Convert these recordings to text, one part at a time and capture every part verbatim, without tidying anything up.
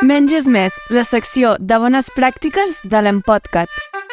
Menys és més, la secció de bones pràctiques de l'Empodcat.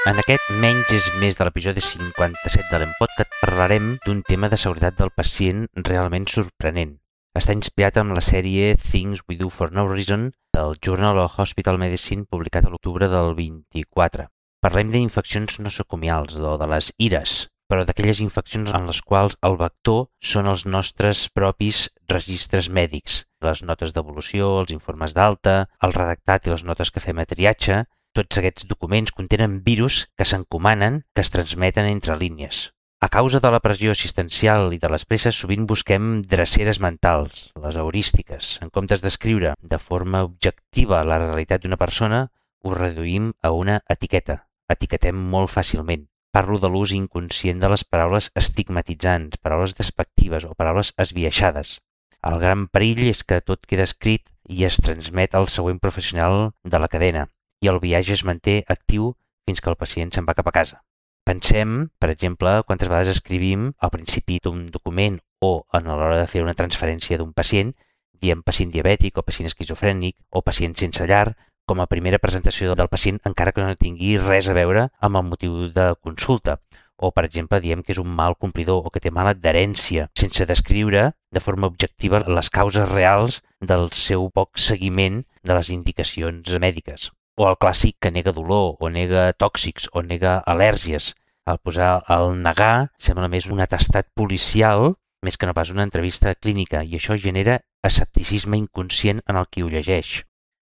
En aquest Menys és més de l'episodi cinquanta-set de l'Empodcat parlarem d'un tema de seguretat del pacient realment sorprenent. Està inspirat en la sèrie Things We Do For No Reason del Journal of Hospital Medicine publicat a l'octubre del vint-i-quatre. Parlem d'infeccions nosocomials o de les ires, però d'aquelles infeccions en les quals el vector són els nostres propis registres mèdics, les notes d'evolució, els informes d'alta, el redactat i les notes que fem a triatge. Tots aquests documents contenen virus que s'encomanen, que es transmeten entre línies. A causa de la pressió assistencial i de les presses, sovint busquem dreceres mentals, les heurístiques. En comptes d'escriure de forma objectiva la realitat d'una persona, ho reduïm a una etiqueta. Etiquetem molt fàcilment. Parlo de l'ús inconscient de les paraules estigmatitzants, paraules despectives o paraules esbiaixades. El gran perill és que tot queda escrit i es transmet al següent professional de la cadena i el viatge es manté actiu fins que el pacient se'n va cap a casa. Pensem, per exemple, quantes vegades escrivim al principi d'un document o en l'hora de fer una transferència d'un pacient, diem pacient diabètic o pacient esquizofrènic o pacient sense llar, com a primera presentació del pacient encara que no tingui res a veure amb el motiu de consulta. O, per exemple, diem que és un mal complidor o que té mala adherència, sense descriure de forma objectiva les causes reals del seu poc seguiment de les indicacions mèdiques. O el clàssic que nega dolor, o nega tòxics, o nega al·lèrgies. Al posar el negar sembla més un atestat policial més que no pas una entrevista clínica i això genera escepticisme inconscient en el qui ho llegeix.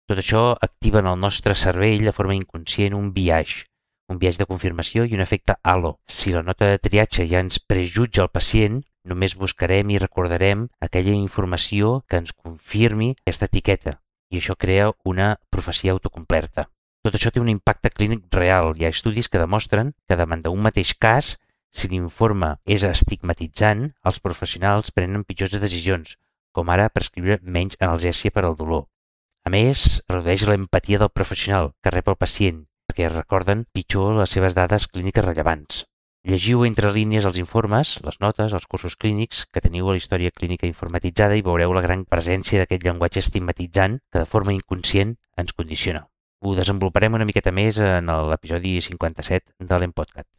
Tot això activa en el nostre cervell de forma inconscient un biaix, un biaix de confirmació i un efecte halo. Si la nota de triatge ja ens prejutja el pacient, només buscarem i recordarem aquella informació que ens confirmi aquesta etiqueta i això crea una profecia autocomplerta. Tot això té un impacte clínic real. Hi ha estudis que demostren que davant d'un mateix cas, si l'informe és estigmatitzant, els professionals prenen pitjors decisions, com ara prescriure menys analgèsia per al dolor. A més, redueix l'empatia del professional que rep el pacient, perquè recorden pitjor les seves dades clíniques rellevants. Llegiu entre línies els informes, les notes, els cursos clínics que teniu a la història clínica informatitzada i veureu la gran presència d'aquest llenguatge estigmatitzant que de forma inconscient ens condiciona. Ho desenvoluparem una miqueta més en l'episodi cinquanta-set de l'Empodcat.